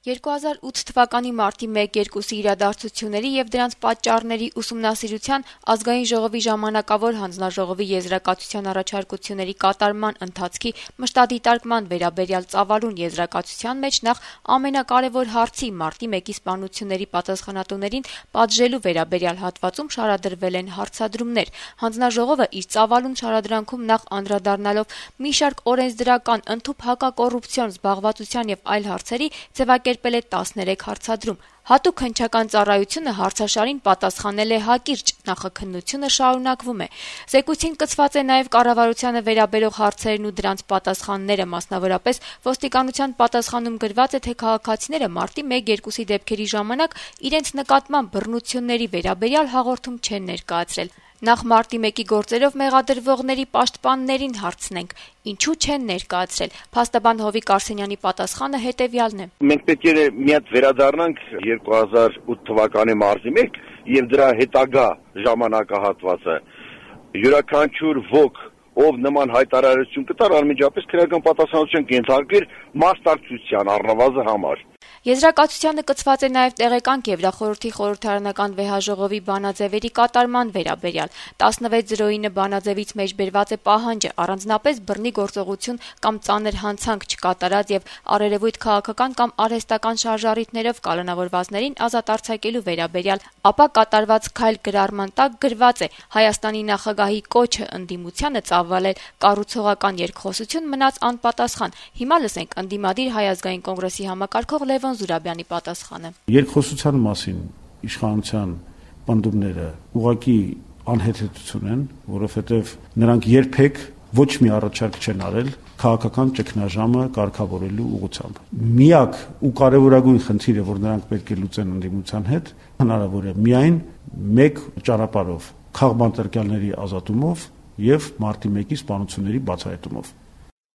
2008 թվականի մարտի 1-2-ի իրադարձությունների եւ դրանց պատճառների ուսումնասիրության ազգային ժողովի ժամանակավոր հանձնաժողովի եզրակացության առաջարկությունների կատարման ընթացքի մշտադիտարկման վերաբերյալ ծավալուն եզրակացության մեջ նախ ամենակարևոր հարցի մարտի 1-ի սպանությունների պատասխանատուներին պատժելու վերաբերյալ հատվածում շարադրվել են հարցադրումներ։ Հանձնաժողովը իր ծավալուն շարադրանքում նախ անդրադառնալով մի շարք օրենսդրական, ընդհուպ հակակոռուպցիոն զբաղվածության եւ այլ հարցերի ձևակերպել է 13 հարցադրում։ Հատուկ հնչական ծառայությունը հարցաշարին պատասխանել է հակիրճ, նախաքննությունը շարունակվում է։ Զեկույցին կցված է նաև կառավարությանը վերաբերող հարցերն ու դրանց պատասխանները, մասնավորապես ոստիկանության պատասխանում գրված է, թե քաղաքացիները մարտի 1-2-ի դեպքերի ժամանակ իրենց նկատմամբ բռնությունների վերաբերյալ հաղորդում չեն ներկայացրել։ Նախ մարտի 1-ի գործերով մեղադրվողների պաշտպաններին հարցնենք, ինչու չեն ներկայացրել։ Փաստաբան Հովիկ Արսենյանի պատասխանը հետևյալն է. Մենք պետք է մի հատ վերադառնանք 2008 թվականի մարտի 1 եւ դրա հետագա ժամանակահատվածը։ Յուրաքանչյուր ոք, ով նման հայտարարություն կտար, անմիջապես քրեական պատասխանատվության կենթարկվեր մասնակցության առնվազն համար։ Եզրակացությանը կցված է նաև տեղեկանք Եվրախորհրդի խորհրդարանական վեհաժողովի բանաձևերի կատարման վերաբերյալ։ 1609 բանաձևից մեջբերված է պահանջը առանձնապես բռնի գործողություն կամ ծանր հանցանք չկատարած եւ առերևույթ քաղաքական կամ արհեստական շարժառիթներով կալանավորվածներին ազատ արձակելու վերաբերյալ, ապա կատարված քայլ գրառման տակ գրված է Հայաստանի նախագահի կոչը ընդդիմությանը ծավալել կառուցողական երկխոսություն մնաց անպատասխան։ Հիմա լսենք ընդդիմադիր Հայ ազգային կոնգրեսի համակարգող Լևոն Զուրաբյանի պատասխանը։ Երկխոսության մասին իշխանության պնդումները ուղղակի անհեթեթություն են, որովհետև նրանք երբեք ոչ մի առաջարկ չեն արել քաղաքական ճգնաժամը կարգավորելու ուղղությամբ։ Միակ ու կարևորագույն խնդիրը, որ նրանք պետք է լուծեն ընդդիմության հետ, հնարավոր է միայն մեկ ճանապարհով՝ քաղբանտարկյալների ազատումով եւ մարտի 1-ի սպանությունների բացահայտումով։